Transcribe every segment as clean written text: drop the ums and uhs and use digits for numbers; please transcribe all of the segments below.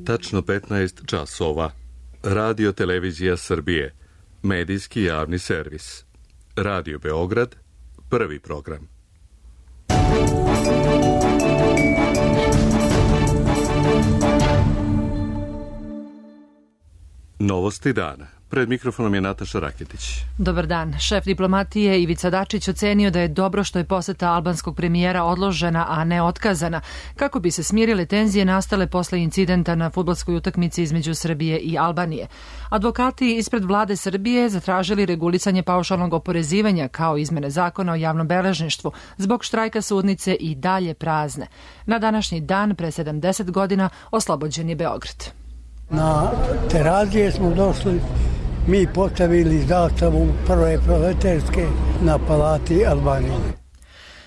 Tačno 15 časova. Radio Televizija Srbije. Medijski javni servis. Radio Beograd. Prvi program. Novosti dana. Pred mikrofonom je Nataša Raketić. Dobar dan. Šef diplomatije Ivica Dačić ocenio da je dobro što je poseta albanskog premijera odložena, a ne otkazana, kako bi se smirile tenzije nastale posle incidenta na fudbalskoj utakmici između Srbije i Albanije. Advokati ispred vlade Srbije zatražili regulisanje paušalnog oporezivanja kao izmene zakona o javnom beležništvu zbog štrajka sudnice i dalje prazne. Na današnji dan, pre 70 godina, oslobođen je Beograd. Na Terazije smo došli, mi postavili zastavu prve proletarske na palati Albanije.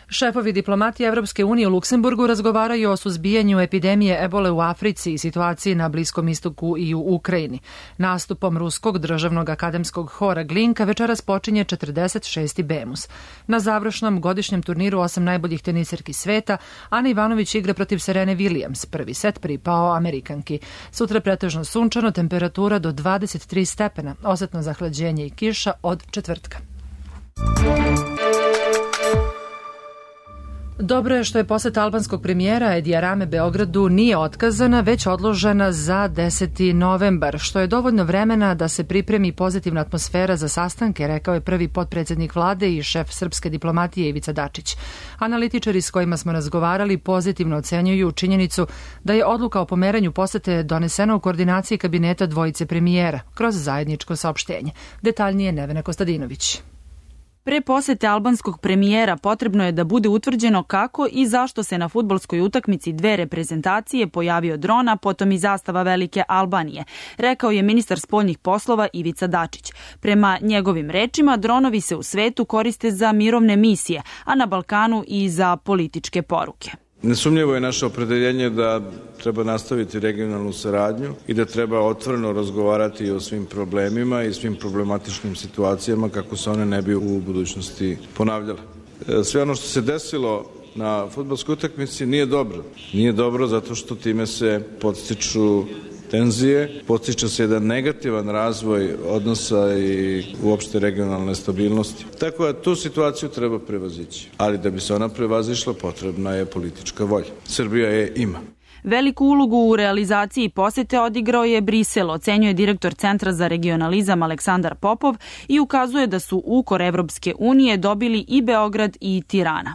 Šefovi diplomatije Evropske unije u Luksemburgu razgovaraju o suzbijanju epidemije ebole u Africi i situaciji na Bliskom istoku i u Ukrajini. Nastupom Ruskog državnog akademskog hora Glinka večeras počinje 46. Bemus. Na završnom godišnjem turniru 8 najboljih teniserki sveta Ana Ivanović igra protiv Serene Williams. Prvi set pripao Amerikanki. Sutra pretežno sunčano, temperatura do 23 stepena, osetno zahlađenje i kiša od četvrtka. Dobro je što je poseta albanskog premijera Edija Rame Beogradu nije otkazana, već odložena za 10. novembar, što je dovoljno vremena da se pripremi pozitivna atmosfera za sastanke, rekao je prvi potpredsednik vlade i šef srpske diplomatije Ivica Dačić. Analitičari s kojima smo razgovarali pozitivno ocenjuju činjenicu da je odluka o pomeranju posete donesena u koordinaciji kabineta dvojice premijera kroz zajedničko saopštenje. Detaljnije Nevena Kostadinović. Pre posete albanskog premijera potrebno je da bude utvrđeno kako i zašto se na fudbalskoj utakmici dve reprezentacije pojavio dron, a potom i zastava Velike Albanije, rekao je ministar spoljnih poslova Ivica Dačić. Prema njegovim rečima, dronovi se u svetu koriste za mirovne misije, a na Balkanu i za političke poruke. Nesumnjivo je naše opredeljenje da treba nastaviti regionalnu saradnju i da treba otvoreno razgovarati o svim problemima i svim problematičnim situacijama kako se one ne bi u budućnosti ponavljale. Sve ono što se desilo na fudbalskoj utakmici nije dobro. Nije dobro zato što time se podstiču tenzije, podstiče se jedan negativan razvoj odnosa i uopšte regionalne stabilnosti. Tako da tu situaciju treba prevazići. Ali da bi se ona prevazišla, potrebna je politička volja. Srbija je ima. Veliku ulogu u realizaciji posete odigrao je Brisel, ocenjuje direktor Centra za regionalizam Aleksandar Popov i ukazuje da su ukor Evropske unije dobili i Beograd i Tirana.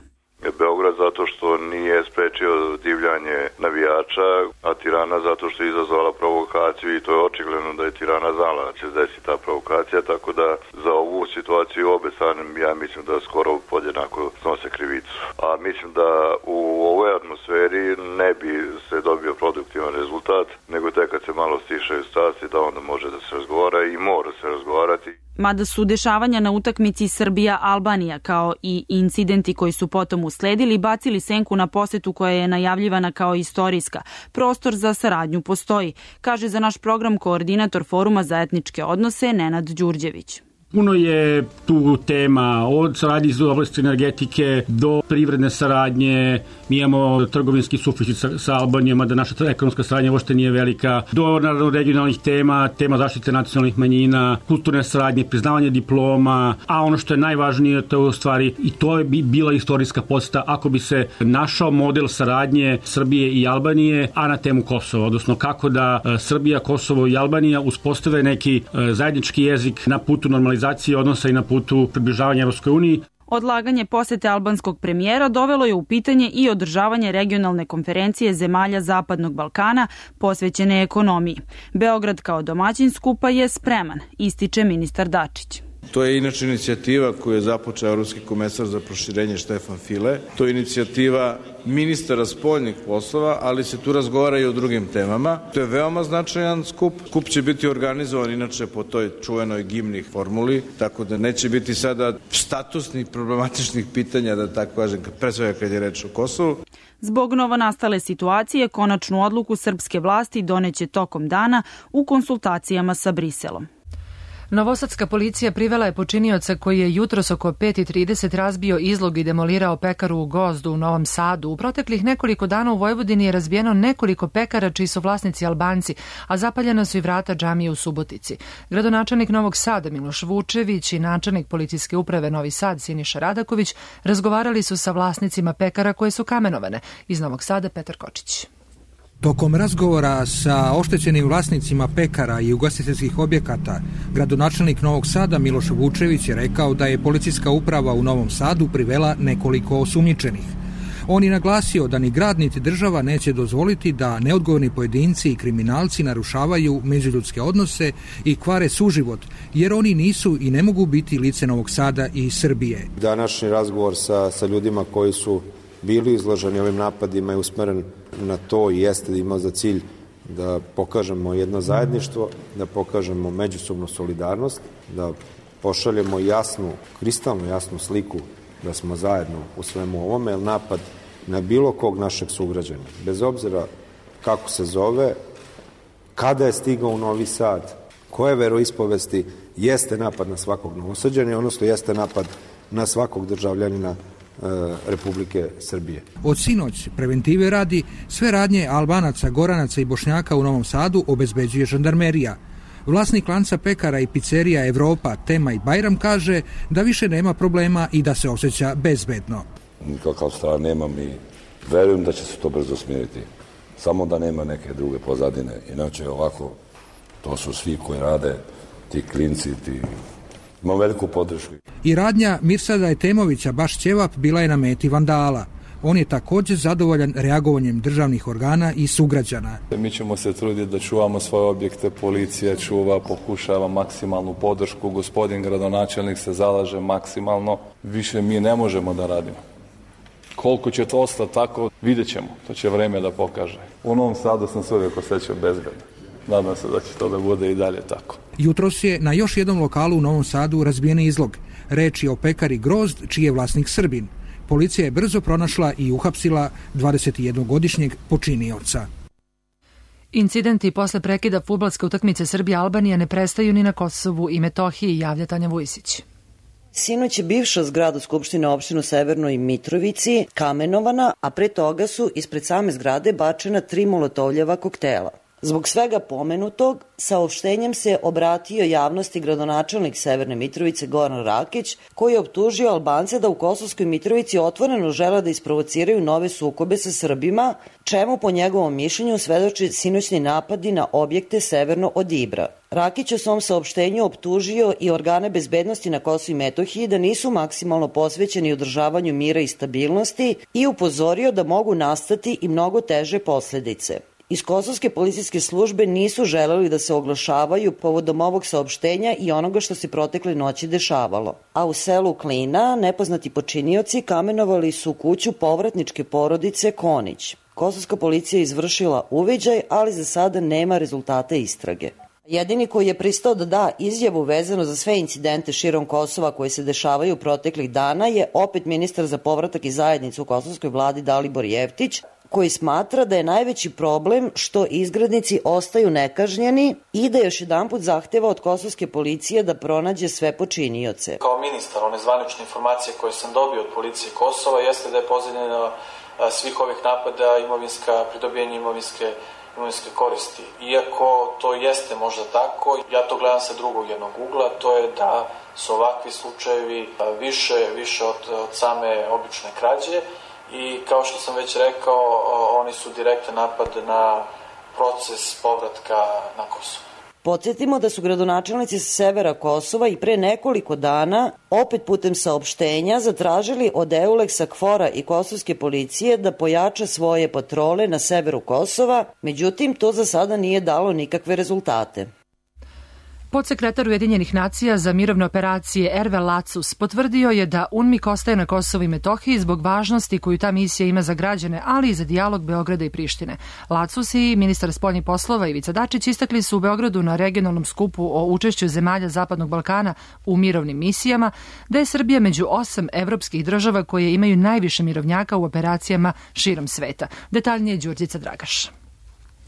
Beograd zato što nije sprečio divljanje navijača, a Tirana zato što je izazvala provokaciju i to je očigledno da je Tirana znala da će se desiti ta provokacija, tako da za ovu situaciju obe strane ja mislim da skoro podjednako snose krivicu. A mislim da u ovoj atmosferi ne bi se dobio produktivan rezultat, nego tek kad se malo stišaju strasti da onda može da se razgovara i mora se razgovarati. Mada su dešavanja na utakmici Srbija-Albanija kao i incidenti koji su potom usledili bacili senku na posetu koja je najavljivana kao istorijska. Prostor za saradnju postoji, kaže za naš program koordinator Foruma za etničke odnose Nenad Đurđević. Puno je tu tema, od saradnje iz oblasti energetike do privredne saradnje. Mi imamo trgovinski suficit sa Albanijom, da naša ekonomska saradnja uopšte nije velika, do naravno regionalnih tema zaštite nacionalnih manjina, kulturne saradnje, priznavanje diploma, a ono što je najvažnije, to je u stvari i to je bila istorijska poseta ako bi se našao model saradnje Srbije i Albanije, a na temu Kosova, odnosno kako da Srbija, Kosovo i Albanija uspostave neki zajednički jezik na putu normalizacije odnosa i na putu približavanja Evropskoj uniji. Odlaganje posete albanskog premijera dovelo je u pitanje i održavanje regionalne konferencije zemalja Zapadnog Balkana posvećene ekonomiji. Beograd kao domaćin skupa je spreman, ističe ministar Dačić. To je inače inicijativa koju je započeo Evropski komesar za proširenje Štefan File. To je inicijativa ministara spoljnih poslova, ali se tu razgovara i o drugim temama. To je veoma značajan skup. Skup će biti organizovan inače po toj čuvenoj gimnih formuli, tako da neće biti sada statusnih problematičnih pitanja, da tako kažem, pre svega kad je reč o Kosovu. Zbog novonastale situacije, konačnu odluku srpske vlasti doneće tokom dana u konsultacijama sa Briselom. Novosadska policija privela je počinioca koji je jutros oko 5:30 razbio izlog i demolirao pekaru u Gozdu u Novom Sadu. U proteklih nekoliko dana u Vojvodini je razbijeno nekoliko pekara čiji su vlasnici Albanci, a zapaljena su i vrata džamije u Subotici. Gradonačelnik Novog Sada Miloš Vučević i načelnik policijske uprave Novi Sad Siniša Radaković razgovarali su sa vlasnicima pekara koje su kamenovane. Iz Novog Sada Petar Kočić. Tokom razgovora sa oštećenim vlasnicima pekara i ugostiteljskih objekata, gradonačelnik Novog Sada Miloš Vučević je rekao da je policijska uprava u Novom Sadu privela nekoliko osumnjičenih. On je naglasio da ni grad niti država neće dozvoliti da neodgovorni pojedinci i kriminalci narušavaju međuljudske odnose i kvare suživot, jer oni nisu i ne mogu biti lice Novog Sada i Srbije. Današnji razgovor sa ljudima koji su bili izloženi ovim napadima je usmeren na to i jeste da ima za cilj da pokažemo jedno zajedništvo, da pokažemo međusobnu solidarnost, da pošaljemo kristalno jasnu sliku da smo zajedno u svemu ovome, jer napad na bilo kog našeg sugrađana, bez obzira kako se zove, kada je stigao u Novi Sad, koje veroispovesti, jeste napad na svakog Novosađana, odnosno jeste napad na svakog državljanina Republike Srbije. Od sinoć preventive radi sve radnje Albanaca, Goranaca i Bošnjaka u Novom Sadu obezbeđuje žandarmerija. Vlasnik lanca pekara i pizzerija Evropa, Tema i Bajram kaže da više nema problema i da se osjeća bezbedno. Nikakav strah nemam i verujem da će se to brzo smiriti. Samo da nema neke druge pozadine. Inače ovako, to su svi koji rade, ti klinci, imam veliku podršku. I radnja Mirsada Etemovića Baš Ćevap bila je na meti vandala. On je također zadovoljan reagovanjem državnih organa i sugrađana. Mi ćemo se truditi da čuvamo svoje objekte, policija čuva, pokušava maksimalnu podršku, gospodin gradonačelnik se zalaže maksimalno, više mi ne možemo da radimo. Koliko će to ostati tako, vidjet ćemo, to će vreme da pokaže. U Novom Sadu sam se uvijek osjećao bezbedno. Nadam se da će to da bude i dalje tako. Jutros je na još jednom lokalu u Novom Sadu razbijen izlog. Reč je o pekari Grozd, čiji je vlasnik Srbin. Policija je brzo pronašla i uhapsila 21-godišnjeg počinioca. Incidenti posle prekida fudbalske utakmice Srbija-Albanija ne prestaju ni na Kosovu i Metohiji, javlja Tanja Vujsić. Sinoć je bivša zgrada Skupštine opštine Severnoj Mitrovici kamenovana, a pre toga su ispred same zgrade bačena 3 molotovljeva koktela. Zbog svega pomenutog, saopštenjem se obratio javnosti gradonačelnik Severne Mitrovice Goran Rakić, koji je optužio Albance da u Kosovskoj Mitrovici otvoreno žele da isprovociraju nove sukobe sa Srbima, čemu po njegovom mišljenju svedoči sinoćni napadi na objekte severno od Ibra. Rakić u svom saopštenju optužio i organe bezbednosti na Kosovu i Metohiji da nisu maksimalno posvećeni održavanju mira i stabilnosti i upozorio da mogu nastati i mnogo teže posledice. Iz kosovske policijske službe nisu želeli da se oglašavaju povodom ovog saopštenja i onoga što se protekle noći dešavalo. A u selu Klina nepoznati počinioci kamenovali su kuću povratničke porodice Konić. Kosovska policija je izvršila uviđaj, ali za sada nema rezultata istrage. Jedini koji je pristao da da izjavu vezano za sve incidente širom Kosova koji se dešavaju proteklih dana je opet ministar za povratak i zajednicu u kosovskoj vladi Dalibor Jeftić, koji smatra da je najveći problem što izgrednici ostaju nekažnjeni i da još jedanput zahteva od kosovske policije da pronađe sve počinioce. Kao ministar, one zvanične informacije koje sam dobio od policije Kosova jeste da je pozadina svih ovih napada pridobijanje imovinske koristi. Iako to jeste možda tako, ja to gledam sa drugog jednog ugla, to je da su ovakvi slučajevi više od same obične krađe. I kao što sam već rekao, oni su direktan napad na proces povratka na Kosovo. Podsjetimo da su gradonačelnici sa severa Kosova i pre nekoliko dana opet putem saopštenja zatražili od Euleksa, KFOR-a i kosovske policije da pojača svoje patrole na severu Kosova, međutim to za sada nije dalo nikakve rezultate. Podsekretar Ujedinjenih nacija za mirovne operacije Erve Lacus potvrdio je da UNMIK ostaje na Kosovu i Metohiji zbog važnosti koju ta misija ima za građane, ali i za dijalog Beograda i Prištine. Lacus i ministar spoljnih poslova Ivica Dačić istakli su u Beogradu na regionalnom skupu o učešću zemalja Zapadnog Balkana u mirovnim misijama da je Srbija među 8 evropskih država koje imaju najviše mirovnjaka u operacijama širom sveta. Detaljnije Đurđica Dragaš.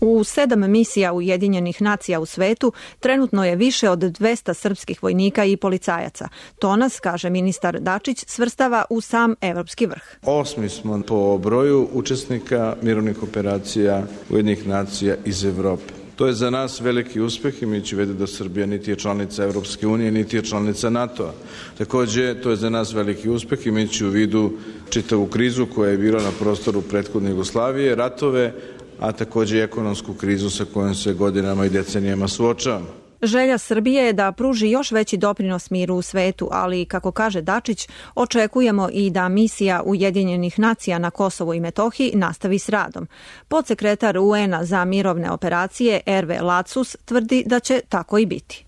U 7 misija Ujedinjenih nacija u svetu trenutno je više od 200 srpskih vojnika i policajaca. To nas, kaže ministar Dačić, svrstava u sam evropski vrh. 8. smo po broju učesnika mirovnih operacija Ujedinjenih nacija iz Evrope. To je za nas veliki uspeh, imajući u vidu da Srbija niti je članica Evropske unije, niti je članica NATO-a. Takođe, to je za nas veliki uspeh, imajući u vidu čitavu krizu koja je bila na prostoru prethodne Jugoslavije, ratove, a takođe i ekonomsku krizu sa kojom se godinama i decenijama suočavamo. Želja Srbije je da pruži još veći doprinos miru u svetu, ali, kako kaže Dačić, očekujemo i da misija Ujedinjenih nacija na Kosovu i Metohiji nastavi s radom. Podsekretar UN-a za mirovne operacije Erve Lacus tvrdi da će tako i biti.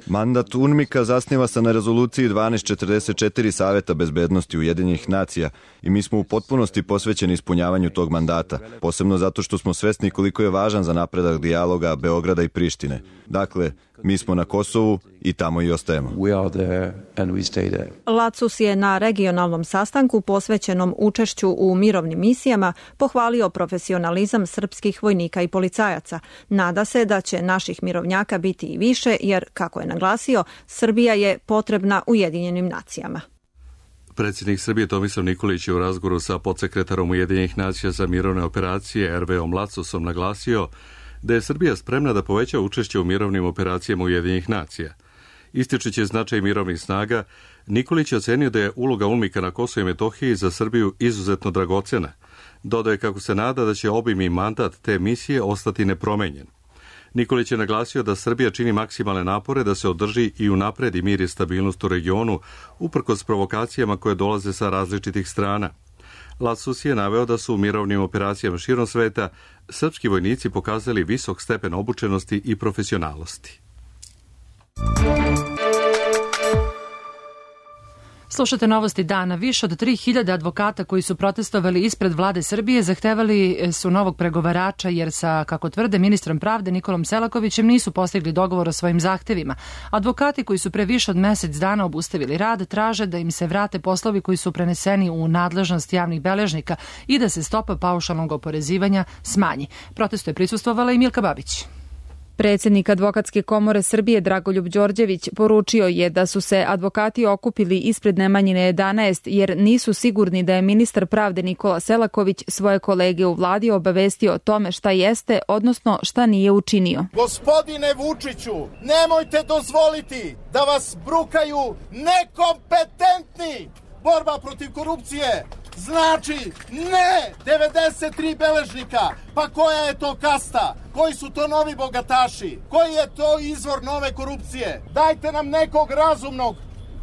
Mandat UNMIK-a zasniva se na rezoluciji 1244 Saveta bezbednosti Ujedinjenih nacija i mi smo u potpunosti posvećeni ispunjavanju tog mandata, posebno zato što smo svesni koliko je važan za napredak dijaloga Beograda i Prištine. Dakle, mi smo na Kosovu i tamo i ostajemo. Lacus je na regionalnom sastanku posvećenom učešću u mirovnim misijama pohvalio profesionalizam srpskih vojnika i policajaca. Nada se da će naših mirovnjaka biti i više jer, kako je naglasio, Srbija je potrebna Ujedinjenim nacijama. Predsjednik Srbije Tomislav Nikolić je u razgovoru sa podsekretarom Ujedinjenih nacija za mirovne operacije Erveom Lacusom naglasio da je Srbija spremna da poveća učešće u mirovnim operacijama Ujedinjenih nacija. Ističući značaj mirovnih snaga, Nikolić je ocenio da je uloga UNMIK-a na Kosovu i Metohiji za Srbiju izuzetno dragocena. Dodaje kako se nada da će obim i mandat te misije ostati nepromenjen. Nikolić je naglasio da Srbija čini maksimalne napore da se održi i unapredi mir i stabilnost u regionu, uprkos provokacijama koje dolaze sa različitih strana. Lacus je naveo da su u mirovnim operacijama širom sveta srpski vojnici pokazali visok stepen obučenosti i profesionalnosti. Slušate novosti dana. Više od 3000 advokata koji su protestovali ispred vlade Srbije zahtevali su novog pregovarača jer sa, kako tvrde, ministrom pravde Nikolom Selakovićem nisu postigli dogovor o svojim zahtevima. Advokati koji su pre više od mesec dana obustavili rad traže da im se vrate poslovi koji su preneseni u nadležnost javnih beležnika i da se stopa paušalnog oporezivanja smanji. Protestu je prisustvovala i Milka Babić. Predsjednik Advokatske komore Srbije Dragoljub Đorđević poručio je da su se advokati okupili ispred Nemanjine 11 jer nisu sigurni da je ministar pravde Nikola Selaković svoje kolege u vladi obavestio o tome šta jeste, odnosno šta nije učinio. Gospodine Vučiću, nemojte dozvoliti da vas brukaju nekompetentni. Borba protiv korupcije znači ne 93 beležnika. Pa koja je to kasta? Koji su to novi bogataši? Koji je to izvor nove korupcije? Dajte nam nekog razumnog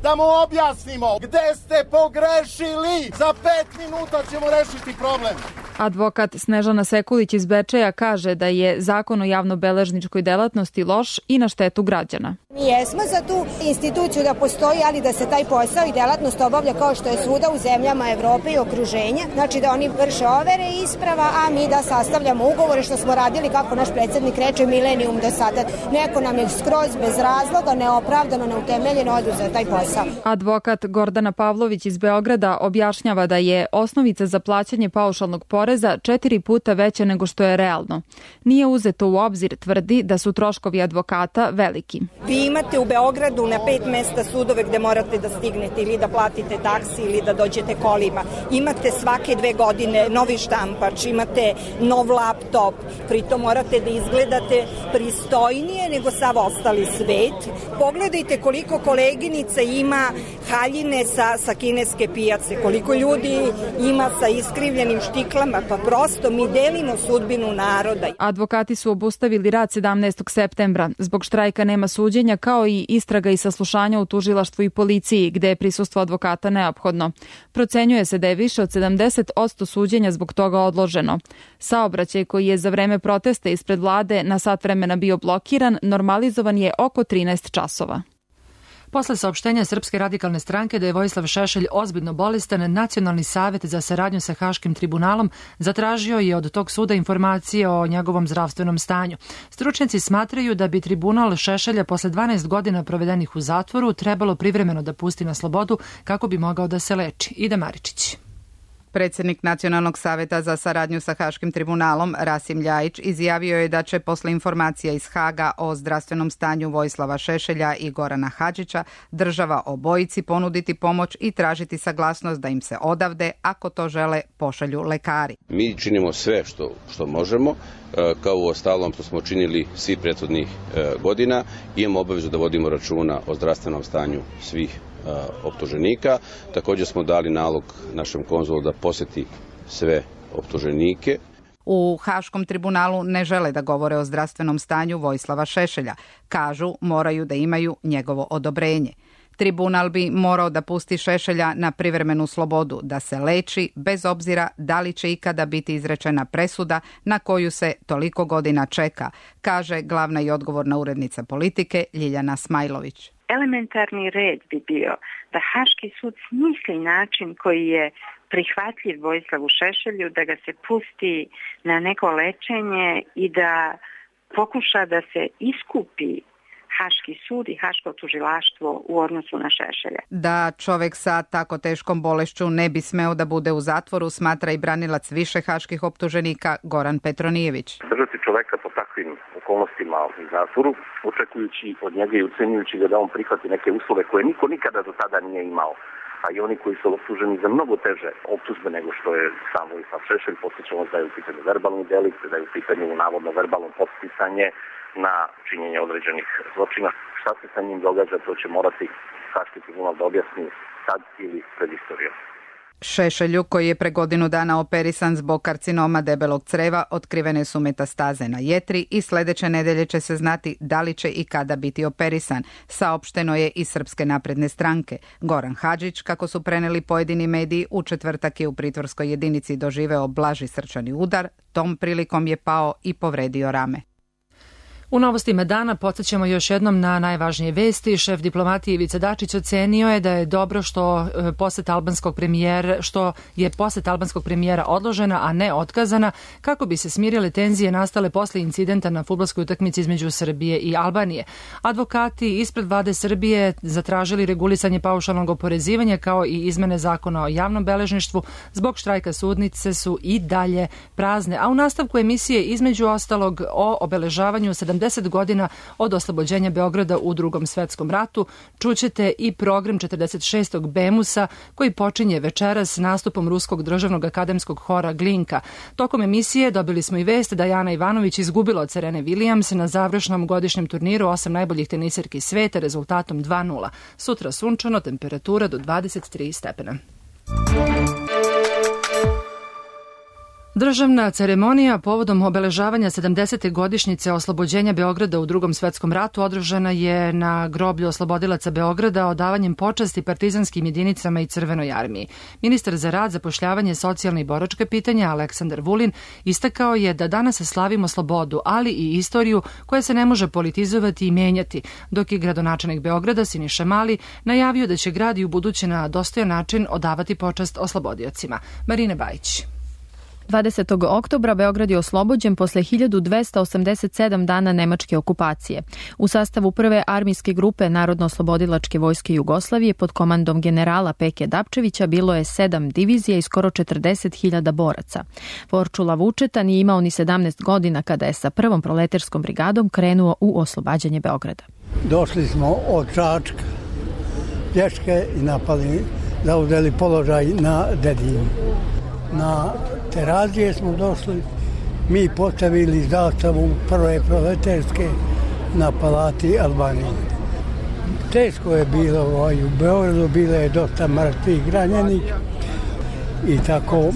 da mu objasnimo gde ste pogrešili. Za 5 minuta ćemo rešiti problem. Advokat Snežana Sekulić iz Bečeja kaže da je zakon o javnobeležničkoj delatnosti loš i na štetu građana. Mi jesmo za tu instituciju da postoji, ali da se taj posao i delatnost obavlja kao što je svuda u zemljama Evrope i okruženja. Znači da oni vrše overe i isprava, a mi da sastavljamo ugovore što smo radili, kako naš predsjednik reče, milenijum do sada. Neko nam je skroz bez razloga, neopravdano, neutemeljeno oduzeo taj posao. Advokat Gordana Pavlović iz Beograda objašnjava da je osnovica za plaćanje paušalnog poreza 4 puta veća nego što je realno. Nije uzeto u obzir, tvrdi da su troškovi advokata veliki. Vi imate u Beogradu na 5 mesta sudove gde morate da stignete ili da platite taksi ili da dođete kolima. Imate svake 2 godine novi štampač, imate nov laptop, pritom morate da izgledate pristojnije nego sav ostali svet. Pogledajte koliko koleginica ima haljine sa kineske pijace, koliko ljudi ima sa iskrivljenim štiklama, pa prosto mi delimo sudbinu naroda. Advokati su obustavili rad 17. septembra. Zbog štrajka nema suđenja, kao i istraga i saslušanja u tužilaštvu i policiji, gde je prisustvo advokata neophodno. Procenjuje se da je više od 70% suđenja zbog toga odloženo. Saobraćaj koji je za vreme protesta ispred vlade na sat vremena bio blokiran, normalizovan je oko 13 časova. Posle saopštenja Srpske radikalne stranke da je Vojislav Šešelj ozbiljno bolestan, Nacionalni savet za saradnju sa Haškim tribunalom zatražio je od tog suda informacije o njegovom zdravstvenom stanju. Stručnjaci smatraju da bi tribunal Šešelja posle 12 godina provedenih u zatvoru trebalo privremeno da pusti na slobodu kako bi mogao da se leči. Ida Maričić. Predsjednik Nacionalnog saveta za saradnju sa Haškim tribunalom Rasim Ljajić izjavio je da će posle informacija iz Haga o zdravstvenom stanju Vojislava Šešelja i Gorana Hadžića država obojici ponuditi pomoć i tražiti saglasnost da im se odavde, ako to žele, pošalju lekari. Mi činimo sve što možemo, kao u ostalom što smo činili svih prethodnih godina. Imamo obavezu da vodimo računa o zdravstvenom stanju svih optuženika. Također smo dali nalog našem konzulu da posjeti sve optuženike. U Haškom tribunalu ne žele da govore o zdravstvenom stanju Vojislava Šešelja. Kažu, moraju da imaju njegovo odobrenje. Tribunal bi morao da pusti Šešelja na privremenu slobodu, da se leči, bez obzira da li će ikada biti izrečena presuda na koju se toliko godina čeka, kaže glavna i odgovorna urednica Politike Ljiljana Smajlović. Elementarni red bi bio da Haški sud smisli način koji je prihvatljiv Vojislavu Šešelju, da ga se pusti na neko lečenje i da pokuša da se iskupi Haški sud i Haško tužilaštvo u odnosu na Šešelja. Da čovjek sa tako teškom bolešću ne bi smeo da bude u zatvoru, smatra i branilac više haških optuženika Goran Petronijević. Držati čoveka po takvim okolnostima u zatvoru, očekujući od njega i ucenjujući ga da on prihvati neke uslove koje niko nikada do tada nije imao, a i oni koji su optuženi za mnogo teže optužbe nego što je sam Vojislav Šešelj, podsjećamo da je u pitanju verbalni delikt, da je u pitanju navodno verbalno podsticanje na činjenje određenih zločina. Šta se sa njim događa, to će morati Haški tribunal da objasni sad ili pred istorijom. Šešelju, koji je pre godinu dana operisan zbog karcinoma debelog creva, otkrivene su metastaze na jetri i sledeće nedelje će se znati da li će i kada biti operisan, saopšteno je iz Srpske napredne stranke. Goran Hadžić, kako su preneli pojedini mediji, u četvrtak je u pritvorskoj jedinici doživeo blaži srčani udar, tom prilikom je pao i povredio rame. U novostima dana podsjećamo još jednom na najvažnije vesti. Šef diplomatije Ivica Dačić ocenio je da je dobro što je poseta albanskog premijera odložena, a ne otkazana, kako bi se smirile tenzije nastale posle incidenta na fudbalskoj utakmici između Srbije i Albanije. Advokati ispred vlade Srbije zatražili regulisanje paušalnog oporezivanja kao i izmene zakona o javnom beležništvu. Zbog štrajka sudnice su i dalje prazne. A u nastavku emisije između ostalog o obeležavanju 70 godina od oslobođenja Beograda u Drugom svetskom ratu čućete i program 46. Bemusa koji počinje večeras nastupom Ruskog državnog akademskog hora Glinka. Tokom emisije dobili smo i vest da Jana Ivanović izgubila od Serene Williams na završnom godišnjem turniru 8 najboljih teniserki sveta rezultatom 2:0. Sutra sunčano, temperatura do 23 stepena. Državna ceremonija povodom obeležavanja 70. godišnjice oslobođenja Beograda u Drugom svetskom ratu održana je na groblju oslobodilaca Beograda odavanjem počasti partizanskim jedinicama i Crvenoj armiji. Ministar za rad, zapošljavanje, socijalne i boračka pitanja Aleksandar Vulin istakao je da danas slavimo slobodu, ali i istoriju koja se ne može politizovati i menjati, dok je gradonačelnik Beograda Siniša Mali najavio da će grad i u buduće na dostojan način odavati počast oslobodiocima. Marina Bajić. 20. oktobra Beograd je oslobođen posle 1287 dana nemačke okupacije. U sastavu prve armijske grupe Narodno-oslobodilačke vojske Jugoslavije pod komandom generala Peke Dapčevića bilo je 7 divizija i skoro 40.000 boraca. Vorčula Vučeta nije imao ni 17 godina kada je sa prvom proleterskom brigadom krenuo u oslobađanje Beograda. Došli smo od Čačka, pješke i napali, zauzeli položaj na Dedinju. Na Terazije smo došli, mi postavili zastavu prve proleterske na palati Albanije. Teško je bilo u Beogradu, bilo je dosta mrtvih ranjenih i tako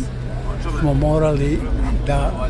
smo morali da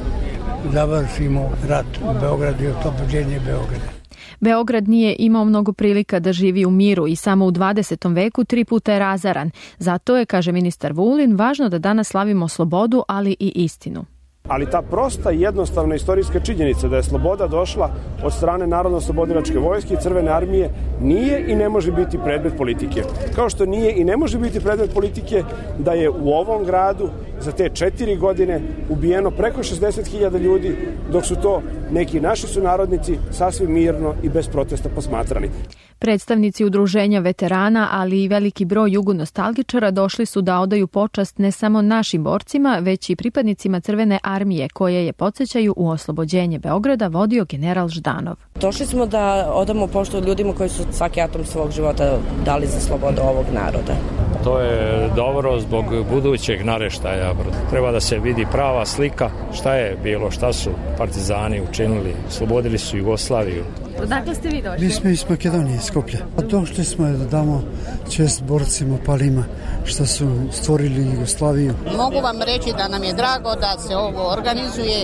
završimo rat u Beogradu i oslobođenje Beograda. Beograd nije imao mnogo prilika da živi u miru i samo u 20. veku 3 puta je razaran. Zato je, kaže ministar Vulin, važno da danas slavimo slobodu, ali i istinu. ali ta prosta i jednostavna istorijska činjenica da je sloboda došla od strane Narodno-oslobodilačke vojske i Crvene armije nije i ne može biti predmet politike. Kao što nije i ne može biti predmet politike da je u ovom gradu za te 4 godine ubijeno preko 60.000 ljudi, dok su to neki naši sunarodnici sasvim mirno i bez protesta posmatrani. Predstavnici udruženja veterana, ali i veliki broj jugonostalgičara došli su da odaju počast ne samo našim borcima, već i pripadnicima Crvene armije, koje je, podsjećaju, u oslobođenje Beograda vodio general Ždanov. Došli smo da odamo poštu ljudima koji su svaki atom svog života dali za slobodu ovog naroda. To je dobro zbog budućeg naraštaja. Treba da se vidi prava slika šta je bilo, šta su partizani učinili, slobodili su Jugoslaviju. Odakle ste vi došli? Mi smo iz Makedonije, iz Skoplja. Došli smo da damo čest borcima, palima, što su stvorili Jugoslaviju. Mogu vam reći da nam je drago da se ovo organizuje,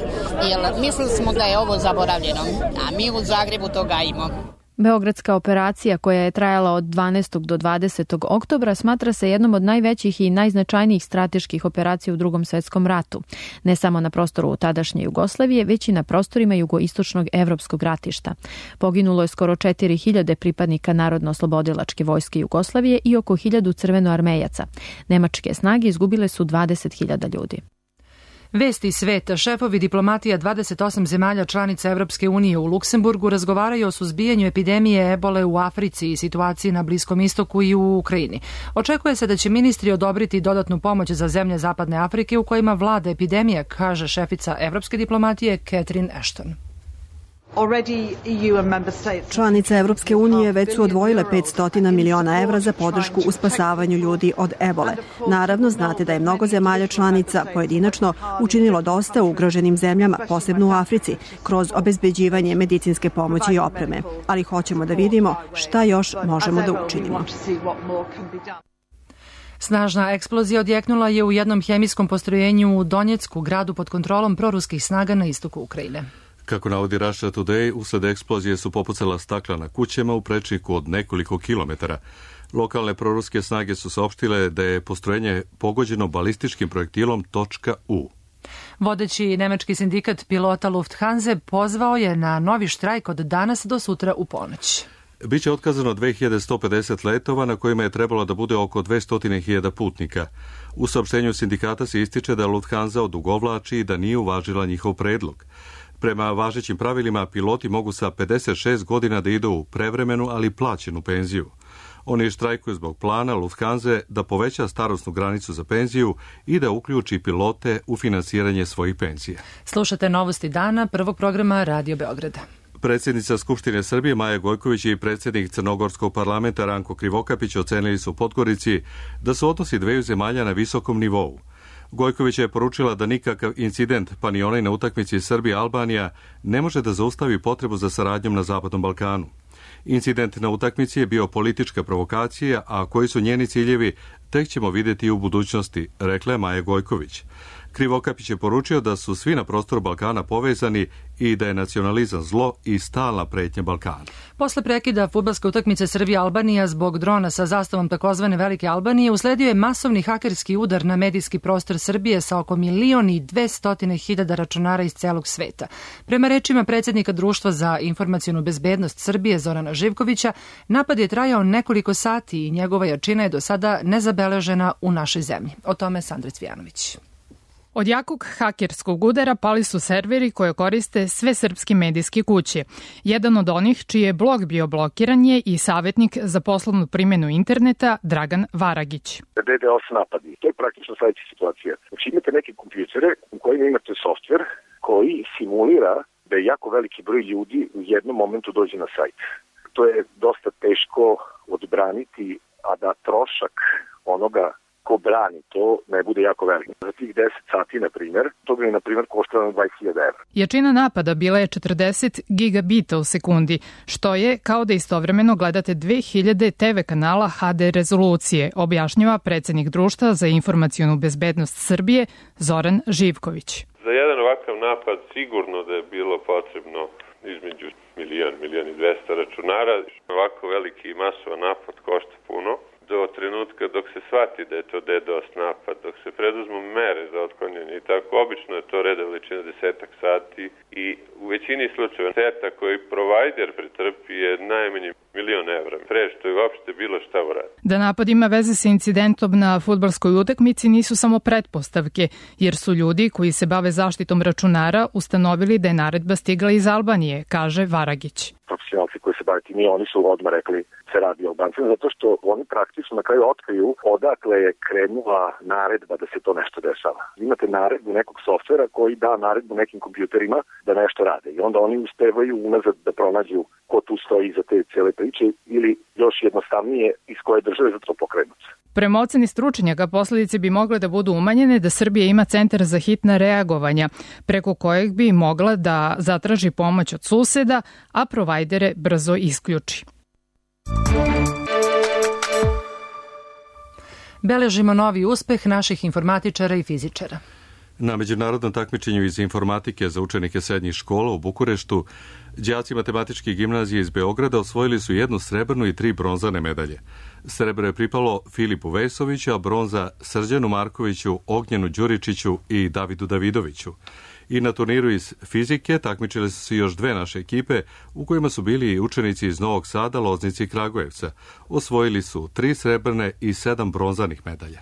jer mislili smo da je ovo zaboravljeno, a mi u Zagrebu to gajimo. Beogradska operacija, koja je trajala od 12. do 20. oktobra, smatra se jednom od najvećih i najznačajnijih strateških operacija u Drugom svetskom ratu. Ne samo na prostoru tadašnje Jugoslavije, već i na prostorima jugoistočnog evropskog ratišta. Poginulo je skoro 4.000 pripadnika Narodno-oslobodilačke vojske Jugoslavije i oko 1.000 crvenoarmejaca. Nemačke snage izgubile su 20.000 ljudi. Vesti sveta. Šefovi diplomatija 28 zemalja članica Evropske unije u Luksemburgu razgovaraju o suzbijanju epidemije ebole u Africi i situaciji na Bliskom istoku i u Ukrajini. Očekuje se da će ministri odobriti dodatnu pomoć za zemlje Zapadne Afrike u kojima vlada epidemija, kaže šefica evropske diplomatije Catherine Ashton. Članice Evropske unije već su odvojile 500 miliona evra za podršku u spasavanju ljudi od ebole. Naravno, znate da je mnogo zemalja članica pojedinačno učinilo dosta u ugroženim zemljama, posebno u Africi, kroz obezbeđivanje medicinske pomoći i opreme. Ali hoćemo da vidimo šta još možemo da učinimo. Snažna eksplozija odjeknula je u jednom hemijskom postrojenju u Donjecku, gradu pod kontrolom proruskih snaga na istoku Ukrajine. Kako navodi Russia Today, usled eksplozije su popucala stakla na kućama u prečniku od nekoliko kilometara. Lokalne proruske snage su saopštile da je postrojenje pogođeno balističkim projektilom .U. Vodeći nemački sindikat pilota Lufthansa pozvao je na novi štrajk od danas do sutra u ponoć. Biće otkazano 2150 letova na kojima je trebalo da bude oko 200.000 putnika. U saopštenju sindikata se ističe da Lufthansa odugovlači i da nije uvažila njihov predlog. Prema važećim pravilima, piloti mogu sa 56 godina da idu u prevremenu, ali plaćenu penziju. Oni štrajkuju zbog plana Lufthansa da poveća starosnu granicu za penziju i da uključi pilote u finansiranje svojih penzija. Slušate novosti dana prvog programa Radio Beograda. Predsjednica Skupštine Srbije Maja Gojković i predsjednik Crnogorskog parlamenta Ranko Krivokapić ocenili su u Podgorici da su odnosi dveju zemalja na visokom nivou. Gojković je poručila da nikakav incident, pa ni onaj na utakmici Srbija-Albanija, ne može da zaustavi potrebu za saradnjom na Zapadnom Balkanu. Incident na utakmici je bio politička provokacija, a koji su njeni ciljevi tek ćemo vidjeti u budućnosti, rekla je Maja Gojković. Krivokapić je poručio da su svi na prostoru Balkana povezani i da je nacionalizam zlo i stalna pretnja Balkana. Posle prekida fudbalske utakmice Srbija-Albanija zbog drona sa zastavom takozvane Velike Albanije usledio je masovni hakerski udar na medijski prostor Srbije sa oko 1.200.000 računara iz celog sveta. Prema rečima predsjednika Društva za informacionu bezbednost Srbije Zorana Živkovića, napad je trajao nekoliko sati i njegova jačina je do sada nezabeležena u našoj zemlji. O tome Sandra Cvijanović. Od jakog hakerskog udara pali su serveri koje koriste sve srpske medijske kuće. Jedan od onih čiji je blog bio blokiran je i savjetnik za poslovnu primjenu interneta Dragan Varagić. DDoS napadi, to je praktično sledeća situacija. Znači imate neke kompjutere u kojima imate softver koji simulira da je jako veliki broj ljudi u jednom momentu dođe na sajt. To je dosta teško odbraniti, a da trošak onoga ko brani to ne bude jako velik. Za tih 10 sati, na primjer, to bi, na primjer, koštalo 20.000 evra. Jačina napada bila je 40 gigabita u sekundi, što je kao da istovremeno gledate 2000 TV kanala HD rezolucije, objašnjava predsjednik Društva za informacionu bezbednost Srbije Zoran Živković. Za jedan ovakav napad sigurno da je bilo potrebno između 1.200.000 računara. Ovako veliki masovan napad košta puno. do trenutka dok se shvati da je to DDoS napad, dok se preduzmu mere za otklanjanje i tako, obično je to reda veličina 10 sati i u većini slučajeva šteta koji provajder pretrpi je najmanje €1.000.000, pre što je uopšte bilo šta uradi. Da napad ima veze sa incidentom na fudbalskoj utakmici nisu samo pretpostavke, jer su ljudi koji se bave zaštitom računara ustanovili da je naredba stigla iz Albanije, kaže Varagić. Profesionalci koji se bave tim, oni su odmah rekli se radi o Albancima, zato što oni praktično na kraju otkriju odakle je krenula naredba da se to nešto dešava. Imate naredbu nekog softvera koji da naredbu nekim kompjuterima da nešto rade i onda oni uspevaju unazad da pronađu ko tu stoji iza te cijele priče ili još jednostavnije iz koje države za to pokrenuti. Prema oceni stručnjaka, posledice bi mogle da budu umanjene da Srbija ima centar za hitna reagovanja, preko kojeg bi mogla da zatraži pomoć od suseda, a provajdere brzo isključi. Beležimo novi uspeh naših informatičara i fizičara. Na međunarodnom takmičenju iz informatike za učenike srednjih škola u Bukureštu, đaci matematičke gimnazije iz Beograda osvojili su 1 srebrnu i 3 bronzane medalje. Srebro je pripalo Filipu Vesoviću, a bronza Srđanu Markoviću, Ognjenu Đuričiću i Davidu Davidoviću. I na turniru iz fizike takmičile su se još 2 naše ekipe, u kojima su bili i učenici iz Novog Sada, Loznice i Kragujevca. Osvojili su 3 srebrne i 7 bronzanih medalja.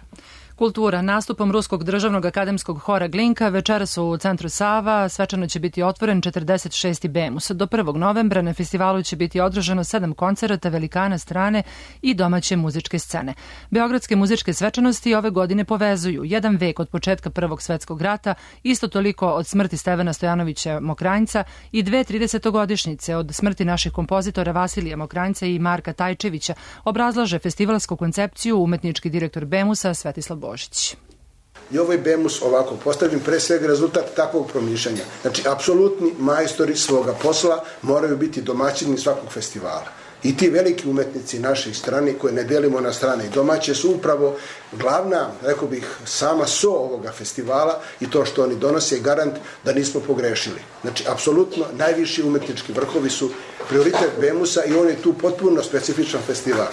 Kultura. Nastupom Ruskog državnog akademskog hora Glinka večeras u centru Sava svečano će biti otvoren 46. Bemus. Do 1. novembra na festivalu će biti održano 7 koncerata velikana strane i domaće muzičke scene. Beogradske muzičke svečanosti ove godine povezuju 1 vek od početka Prvog svetskog rata, isto toliko od smrti Stevana Stojanovića Mokranjca i 2 30-godišnjice od smrti naših kompozitora Vasilija Mokranjca i Marka Tajčevića, obrazlaže festivalsku koncepciju umetnički direktor Bemusa Svetislav Božić. I ovaj Bemus ovako postavljen pre svega rezultat takvog promišljanja. Znači, apsolutni majstori svoga posla moraju biti domaćini svakog festivala. I ti veliki umetnici naših strane, koje ne delimo na strane i domaće, su upravo glavna, rekao bih, sama so ovoga festivala i to što oni donose je garant da nismo pogrešili. Znači, apsolutno najviši umetnički vrhovi su prioritet Bemusa i on je tu potpuno specifičan festival.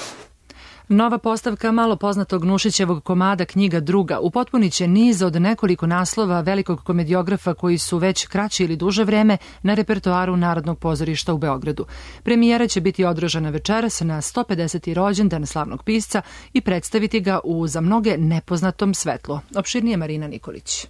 Nova postavka malo poznatog Nušićevog komada Knjiga druga upotpunit će niz od nekoliko naslova velikog komediografa koji su već kraće ili duže vreme na repertoaru Narodnog pozorišta u Beogradu. Premijera će biti održana večeras na 150. rođendan slavnog pisca i predstaviti ga u za mnoge nepoznatom svetlu. Opširnije Marina Nikolić.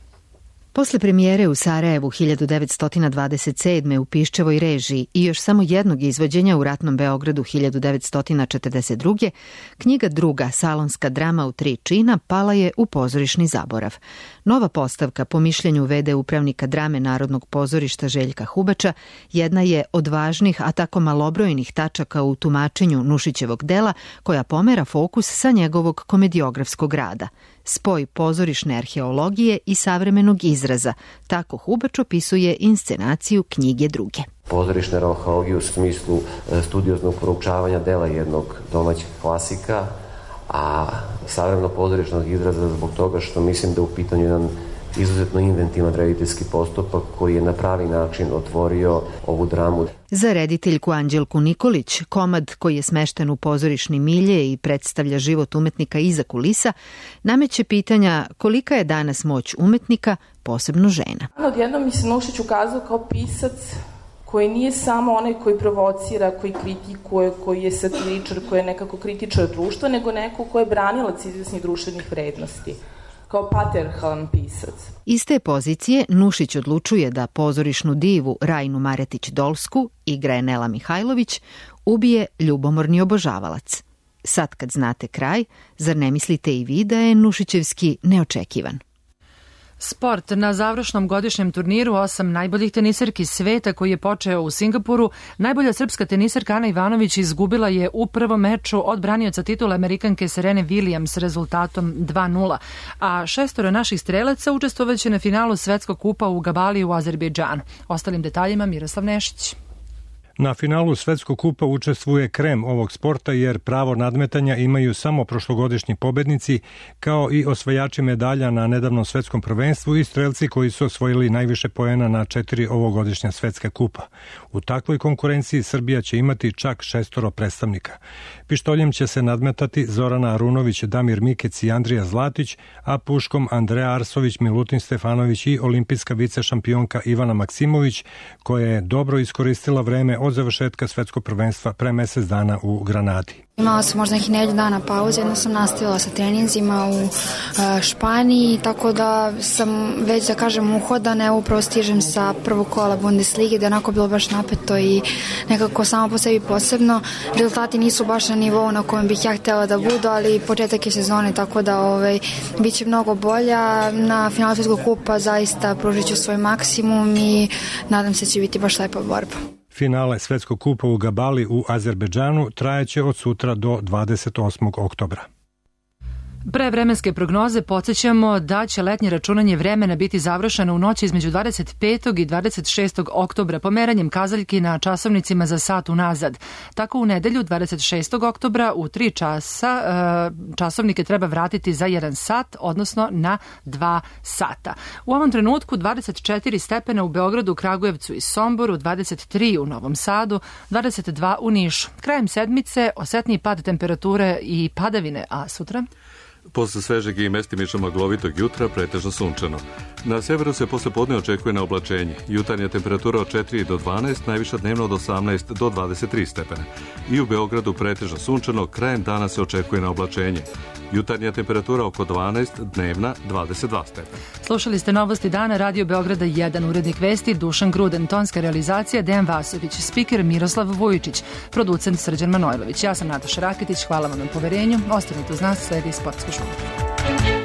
Posle premijere u Sarajevu 1927. u Piščevoj režiji i još samo jednog izvođenja u ratnom Beogradu 1942. Knjiga druga, salonska drama u 3 čina, pala je u pozorišni zaborav. Nova postavka, po mišljenju v.d. upravnika drame Narodnog pozorišta Željka Hubača, jedna je od važnih, a tako malobrojnih tačaka u tumačenju Nušićevog dela, koja pomera fokus sa njegovog komediografskog rada. Spoj pozorišne arheologije i savremenog izraza. Tako Hubač opisuje inscenaciju Knjige druge. Pozorišna arheologija u smislu studioznog proučavanja dela jednog domaćeg klasika, a savremeno pozorišnog izraza zbog toga što mislim da u pitanju jedan izuzetno inventivan rediteljski postupak koji je na pravi način otvorio ovu dramu. Za rediteljku Anđelku Nikolić, komad koji je smešten u pozorišni milje i predstavlja život umetnika iza kulisa, nameće pitanja kolika je danas moć umetnika, posebno žena. Odjednom mi se Nušić ukazao kao pisac koji nije samo onaj koji provocira, koji kritikuje, koji je satiričar, koji je nekako kritičar društva, nego neko ko je branilac izvesnih društvenih vrednosti, kao patrijarhalan pisac. Iz te pozicije Nušić odlučuje da pozorišnu divu Rajnu Maretić-Dolsku, igra je Nela Mihajlović, ubije ljubomorni obožavalac. Sad kad znate kraj, zar ne mislite i vi da je Nušićevski neočekivan? Sport. Na završnom godišnjem turniru 8 najboljih tenisarki sveta koji je počeo u Singapuru, najbolja srpska tenisarka Ana Ivanović izgubila je u prvom meču od branioca titula Amerikanke Serene Williams rezultatom 2:0, a 6 naših strelaca učestvovaće na finalu Svetskog kupa u Gabali u Azerbejdžanu. Ostalim detaljima Miroslav Nešić. Na finalu Svetskog kupa učestvuje krem ovog sporta jer pravo nadmetanja imaju samo prošlogodišnji pobednici kao i osvajači medalja na nedavnom svetskom prvenstvu i strelci koji su osvojili najviše poena na 4 ovogodišnja svetska kupa. U takvoj konkurenciji Srbija će imati čak 6 predstavnika. Pištoljem će se nadmetati Zorana Arunović, Damir Mikec i Andrija Zlatić, a puškom Andreja Arsović, Milutin Stefanović i olimpijska vicešampionka Ivana Maksimović, koja je dobro iskoristila vreme od završetka svetskog prvenstva pre mesec dana u Granadi. Imala sam možda nekih nedelju dana pauze, jedno sam nastavila sa treninzima u Španiji, tako da sam već, da kažem, uhodan, evo upravo stižem sa prvog kola Bundeslige, da je onako bilo baš napeto i nekako samo po sebi posebno. Rezultati nisu baš na nivou na kojem bih ja htjela da budu, ali početak je sezone, tako da bit će mnogo bolja. Na finalu Svetskog kupa zaista pružit ću svoj maksimum i nadam se da će biti baš lepa borba. Finale Svetskog kupa u Gabali u Azerbejdžanu trajeće od sutra do 28. oktobra. Pre vremenske prognoze podsjećamo da će letnje računanje vremena biti završeno u noći između 25. i 26. oktobra pomeranjem kazaljki na časovnicima za sat unazad. Tako u nedelju 26. oktobra u 3 časa časovnike treba vratiti za 1 sat, odnosno na 2 sata. U ovom trenutku 24 stepena u Beogradu, Kragujevcu i Somboru, 23 u Novom Sadu, 22 u Nišu. Krajem sedmice osetniji pad temperature i padavine, a sutra? Posle svežeg i mestimično maglovitog jutra pretežno sunčano. Na severu se posle podne očekuje na oblačenje. Jutarnja temperatura od 4 do 12, najviša dnevno od 18 do 23 stepena. I u Beogradu pretežno sunčano, krajem dana se očekuje na oblačenje. Jutarnja temperatura oko 12, dnevna 22 stepena. Slušali ste novosti dana Radio Beograda 1, urednik vesti Dušan Gruden, tonska realizacija Dejan Vasović, spiker Miroslav Vujičić, producent Srđan Manojlović. Ja sam Nataša Raketić, hvala vam na poverenju. Ostanite uz nas, sledi Sportski žurnar.